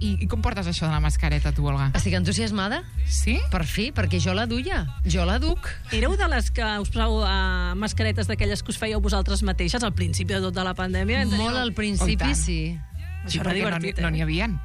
I com portes això de la mascareta, tu, Olga? Estic entusiasmada. Sí? Per fi, perquè jo la duia. Jo la duc. Éreu de les que us poseu mascaretes d'aquelles que us fèieu vosaltres mateixes al principi de tota la pandèmia? Molt al principi, sí. Sí, Això era divertit, no n'hi havien.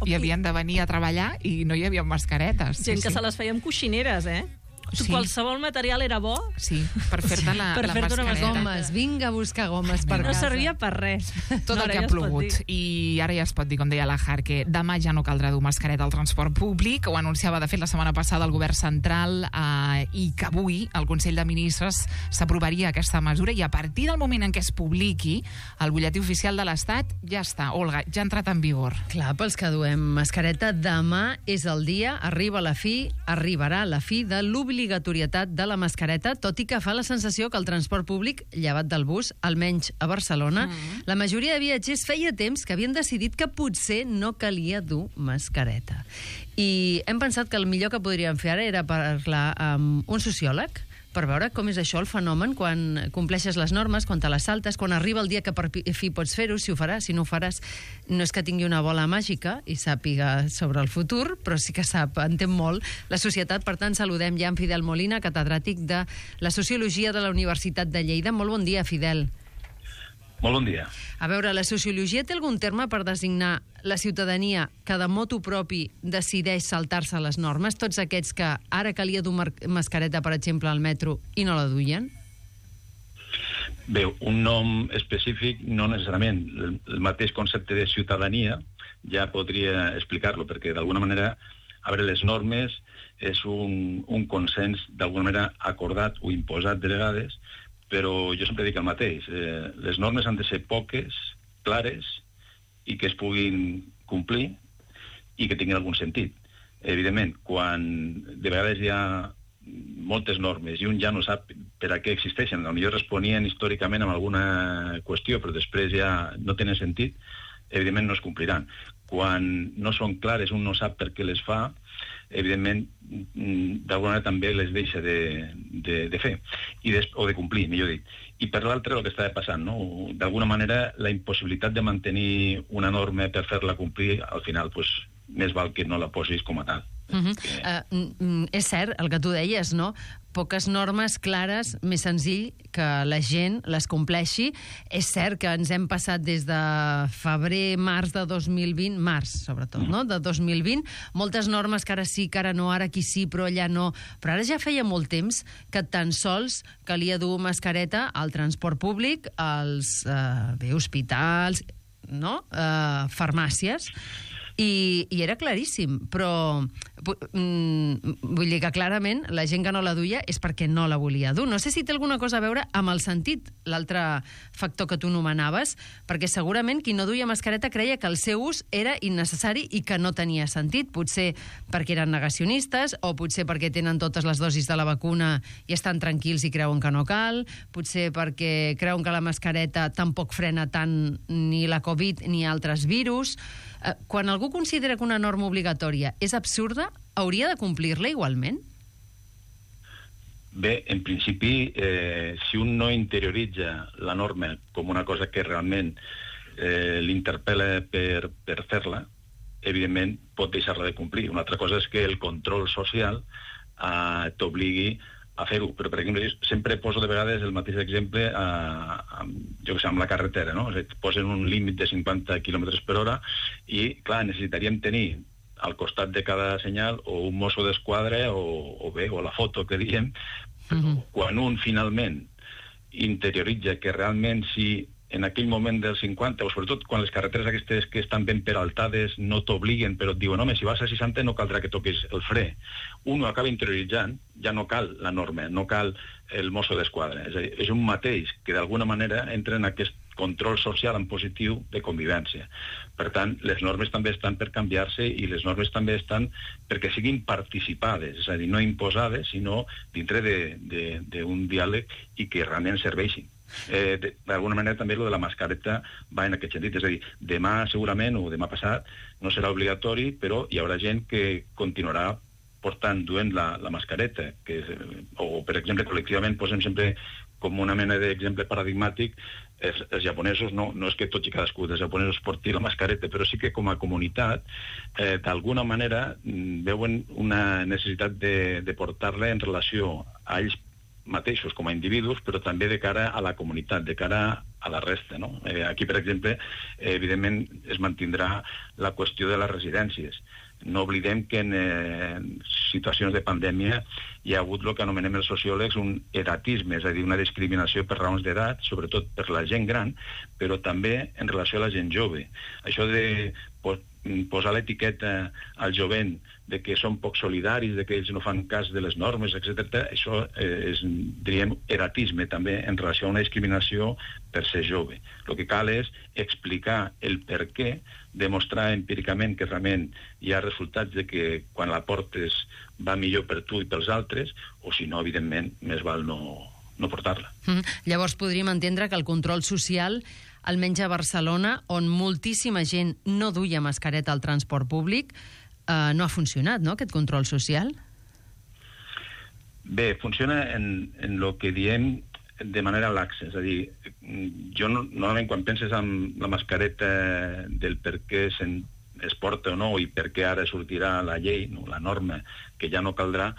I havien de venir a treballar i no hi havia mascaretes. Gent que se les feia amb coixineres, Sí. Qualsevol material era bo. Sí, per fer-te la mascareta. Gomes, vinga a buscar gomes per No casa. servia per res. Tot el que ha plogut. I ara ja es pot dir, com deia la Har, que demà ja no caldrà dur mascareta al transport públic. Ho anunciava, de fet, la setmana passada el govern central i que avui el Consell de Ministres s'aprovaria aquesta mesura i a partir del moment en què es publiqui el butlletí oficial de l'Estat ja està. Olga, ja ha entrat en vigor. Clar, pels que duem mascareta, demà és el dia, arribarà la fi de l'obligatorietat de la mascareta, tot i que fa la sensació que el transport públic, llevat del bus, almenys a Barcelona, la majoria de viatgers feia temps que havien decidit que potser no calia dur mascareta. I hem pensat que el millor que podríem fer ara era parlar amb un sociòleg per veure com és això, el fenomen, quan compleixes les normes, quan te les saltes, quan arriba el dia que per fi pots fer-ho, si ho faràs, si no ho faràs. No és que tingui una bola màgica i sàpiga sobre el futur, però sí que entén molt la societat. Per tant, saludem ja en Fidel Molina, catedràtic de la Sociologia de la Universitat de Lleida. Molt bon dia, Fidel. Molt bon dia. A veure, la sociologia té algun terme per designar la ciutadania que de motu propi decideix saltar-se les normes? Tots aquests que ara calia dur mascareta, per exemple, al metro i no la duien? Bé, un nom específic no necessàriament. El mateix concepte de ciutadania ja podria explicar-lo, perquè d'alguna manera, a veure, les normes és un consens d'alguna manera acordat o imposat de vegades, però jo sempre dic el mateix. Les normes han de ser poques, clares, i que es puguin complir i que tinguin algun sentit. Evidentment, quan de vegades hi ha moltes normes i un ja no sap per a què existeixen, potser responien històricament amb alguna qüestió, però després ja no tenen sentit, evidentment no es compliran. Quan no són clares, un no sap per què les fa, evidentment, d'alguna manera també les deixa de fer, o de complir, millor dit. I per l'altre, el que estava passant, no? D'alguna manera, la impossibilitat de mantenir una norma per fer-la complir, al final, pues, més val que no la posis com a tal. És cert, el que tu deies, no? Poques normes clares, més senzill que la gent les compleixi. És cert que ens hem passat des de febrer, març de 2020, març sobretot, no? De 2020, moltes normes que ara sí, que ara no, ara aquí sí, però allà no. Però ara ja feia molt temps que tan sols calia dur mascareta al transport públic, als hospitals, no? Farmàcies. I era claríssim, però vull dir que clarament la gent que no la duia és perquè no la volia dur. No sé si té alguna cosa a veure amb el sentit, l'altre factor que tu nomenaves, perquè segurament qui no duia mascareta creia que el seu ús era innecessari i que no tenia sentit, potser perquè eren negacionistes o potser perquè tenen totes les dosis de la vacuna i estan tranquils i creuen que no cal, potser perquè creuen que la mascareta tampoc frena tant ni la Covid ni altres virus. Quan algú considera que una norma obligatòria és absurda, hauria de complir-la igualment? Bé, en principi, si un no interioritza la norma com una cosa que realment l'interpel·la per fer-la, evidentment pot deixar-la de complir. Una altra cosa és que el control social t'obligui a fer-ho, però per exemple sempre poso de vegades el mateix exemple jo que sé, amb la carretera, no? Posen un límit de 50 km per hora i clar, necessitaríem tenir al costat de cada senyal o un mosso d'esquadra o la foto que diem, però quan un finalment interioritza que realment si en aquell moment dels 50, o sobretot quan les carreteres aquestes que estan ben peraltades no t'obliguen, però et diuen, home, si vas a 60 no caldrà que toquis el fre. Un ho acaba interioritzant, ja no cal la norma, no cal el mosso d'esquadra. És a dir, és un mateix que d'alguna manera entra en aquest control social en positiu de convivència. Per tant, les normes també estan per canviar-se i les normes també estan perquè siguin participades, és a dir, no imposades, sinó dintre d'un diàleg i que realment serveixin. D'alguna manera també lo de la mascareta va en aquest sentit, és a dir, demà segurament o demà passat no serà obligatori, però hi haurà gent que continuarà duent la mascareta, o per exemple col·lectivament posem sempre com una mena d'exemple paradigmàtic, els japonesos, no és que tots i cadascú dels japonesos porti la mascareta, però sí que com a comunitat, d'alguna manera, veuen una necessitat de portar-la en relació a ells mateixos com a individus, però també de cara a la comunitat, de cara a la resta, no? Aquí, per exemple, evidentment es mantindrà la qüestió de les residències. No oblidem que en situacions de pandèmia hi ha hagut el que anomenem els sociòlegs un edatisme, és a dir, una discriminació per raons d'edat, sobretot per la gent gran, però també en relació a la gent jove. Això de posar l'etiqueta al jovent de que són poc solidaris, de que ells no fan cas de les normes, etc. Això és, diríem, eratisme també en relació a una discriminació per ser jove. El que cal és explicar el per què, demostrar empíricament que realment hi ha resultats de que quan la portes va millor per tu i pels altres, o si no, evidentment, més val no portar-la. Llavors podríem entendre que el control social, almenys a Barcelona, on moltíssima gent no duia mascareta al transport públic, no ha funcionat, no?, aquest control social? Bé, funciona en el que diem de manera laxa, és a dir, jo normalment quan penses en la mascareta del per què es porta o no i per què ara sortirà la llei, no, la norma, que ja no caldrà,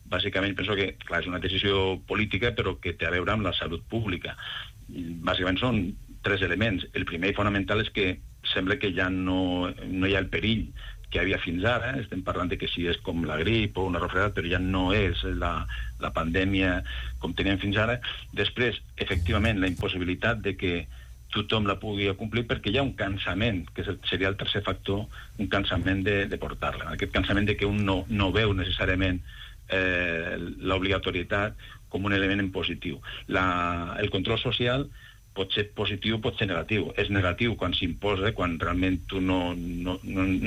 bàsicament penso que, clar, és una decisió política però que té a veure amb la salut pública. Bàsicament són 3 elements. El primer i fonamental és que sembla que ja no hi ha el perill que hi havia fins ara, estem parlant de que si és com la grip o una refredat, però ja no és la pandèmia com teníem fins ara. Després, efectivament, la impossibilitat de que tothom la pugui complir perquè hi ha un cansament, que seria el tercer factor, un cansament de portar-la. Aquest cansament de que un no veu necessàriament l'obligatorietat com un element en positiu. El control social pot ser positiu, pot ser negatiu. És negatiu quan s'imposa, quan realment tu no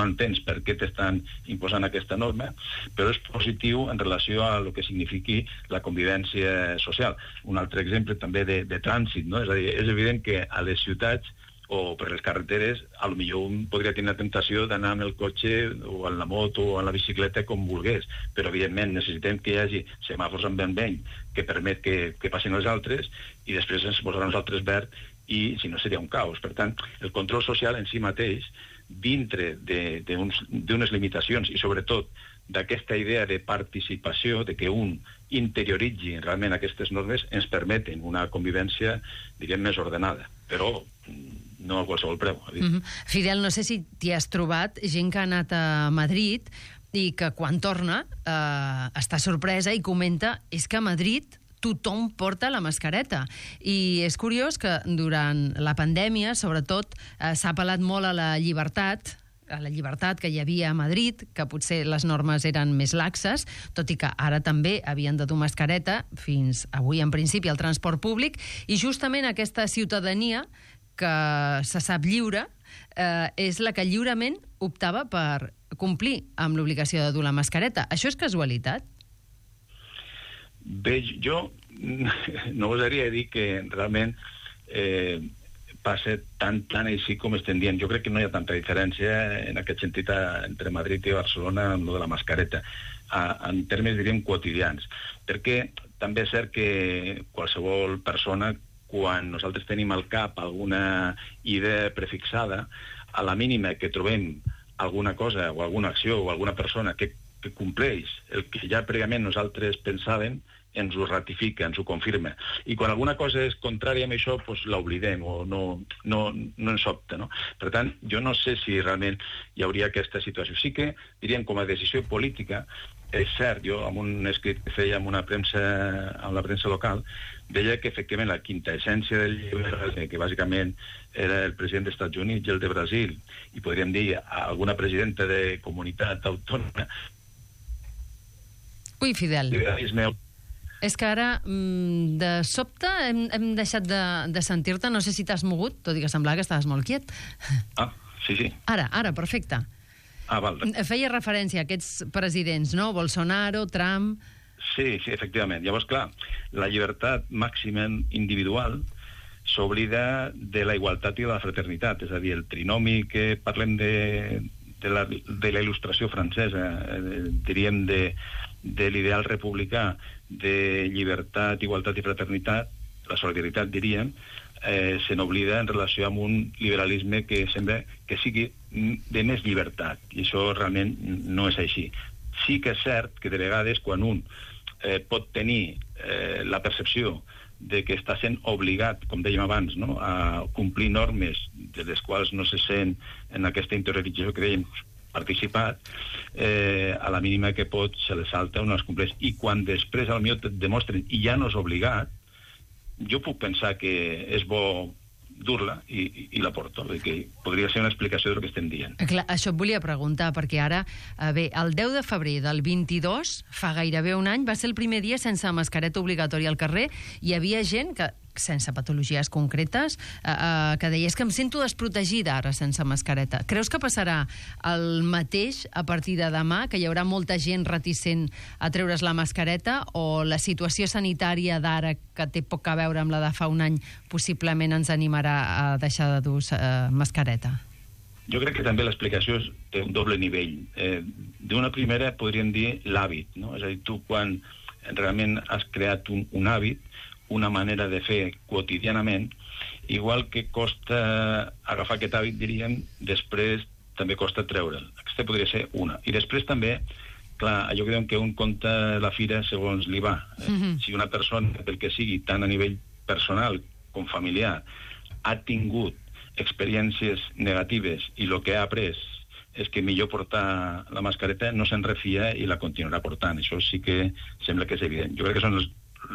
entens per què t'estan imposant aquesta norma, però és positiu en relació a el que signifiqui la convivència social. Un altre exemple també de trànsit, no? És a dir, és evident que a les ciutats o per les carreteres, potser un podria tenir la tentació d'anar amb el cotxe o en la moto o en la bicicleta com volgués, però evidentment necessitem que hi hagi semàfors en vermell que permet que passin els altres i després ens posarà nosaltres verd i si no seria un caos. Per tant, el control social en si mateix, dintre d'unes limitacions i sobretot d'aquesta idea de participació, de que un interioritzi realment aquestes normes, ens permeten una convivència, diríem, més ordenada. Però no a qualsevol preu. Fidel, no sé si t'hi has trobat gent que ha anat a Madrid i que quan torna està sorpresa i comenta és que a Madrid tothom porta la mascareta. I és curiós que durant la pandèmia, sobretot, s'ha apel·lat molt a la llibertat que hi havia a Madrid, que potser les normes eren més laxes, tot i que ara també havien de dur mascareta, fins avui en principi al transport públic, i justament aquesta ciutadania que se sap lliure és la que lliurement optava per complir amb l'obligació de dur la mascareta. Això és casualitat? Bé, jo no gosaria dir que realment passa tan així com estem dient. Jo crec que no hi ha tanta diferència en aquest sentit entre Madrid i Barcelona amb lo de la mascareta, en termes, diríem, quotidians. Perquè també és cert que qualsevol persona, quan nosaltres tenim al cap alguna idea prefixada, a la mínima que trobem alguna cosa o alguna acció o alguna persona que compleix el que ja prèviament nosaltres pensàvem, ens ho ratifica, ens ho confirma. I quan alguna cosa és contrària a això, doncs l'oblidem o no ens sobta, no? Per tant, jo no sé si realment hi hauria aquesta situació. Sí que, diríem, com a decisió política, és cert, jo amb un escrit que feia amb la premsa local, deia que efectivament la quinta essència del llibre, que bàsicament era el president dels Estats Units i el de Brasil, i podríem dir alguna presidenta de comunitat autònoma. Ui, Fidel. És que ara, de sobte, hem deixat de sentir-te. No sé si t'has mogut, tot i que semblava que estaves molt quiet. Sí. Ara, perfecte. Val. Feia referència a aquests presidents, no? Bolsonaro, Trump... Sí, efectivament. Llavors, clar, la llibertat màxima individual s'oblida de la igualtat i de la fraternitat. És a dir, el trinomi que parlem de la il·lustració francesa, diríem de l'ideal republicà de llibertat, igualtat i fraternitat, la solidaritat, diríem, se n'oblida en relació amb un liberalisme que sembla que sigui de més llibertat, i això realment no és així. Sí que és cert que de vegades quan un pot tenir la percepció de que està sent obligat, com dèiem abans, no?, a complir normes de les quals no se sent en aquesta interiorització que dèiem participat, a la mínima que pot se les salta o no les compleix. I quan després potser et demostren i ja no és obligat, jo puc pensar que és bo dur-la i la porto, perquè podria ser una explicació del que estem dient. Clar, això et volia preguntar, perquè ara, bé, el 10 de febrer del 22, fa gairebé un any, va ser el primer dia sense mascareta obligatòria al carrer. Hi havia gent que, sense patologies concretes, que deies que em sento desprotegida ara sense mascareta. Creus que passarà el mateix a partir de demà, que hi haurà molta gent reticent a treure's la mascareta, o la situació sanitària d'ara, que té poc a veure amb la de fa un any, possiblement ens animarà a deixar de dur mascareta? Jo crec que també l'explicació té un doble nivell. D'una primera podríem dir l'hàbit, no? És a dir, tu quan realment has creat un hàbit, una manera de fer quotidianament, igual que costa agafar aquest hàbit, diríem, després també costa treure'l. Aquesta podria ser una. I després també, clar, allò que diuen que un compta la fira segons li va. Si una persona, pel que sigui, tant a nivell personal com familiar, ha tingut experiències negatives i el que ha après és que millor portar la mascareta, no se'n refia i la continuarà portant. Això sí que sembla que és evident. Jo crec que són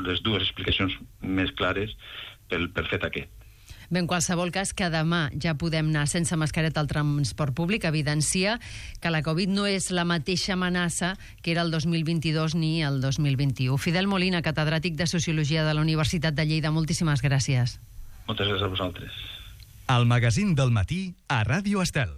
les dues explicacions més clares pel fet aquest. Bé, en qualsevol cas, que demà ja podem anar sense mascareta al transport públic evidencia que la Covid no és la mateixa amenaça que era el 2022 ni el 2021. Fidel Molina, catedràtic de Sociologia de la Universitat de Lleida, moltíssimes gràcies. Moltes gràcies a vosaltres. El magazín del matí a Ràdio Estel.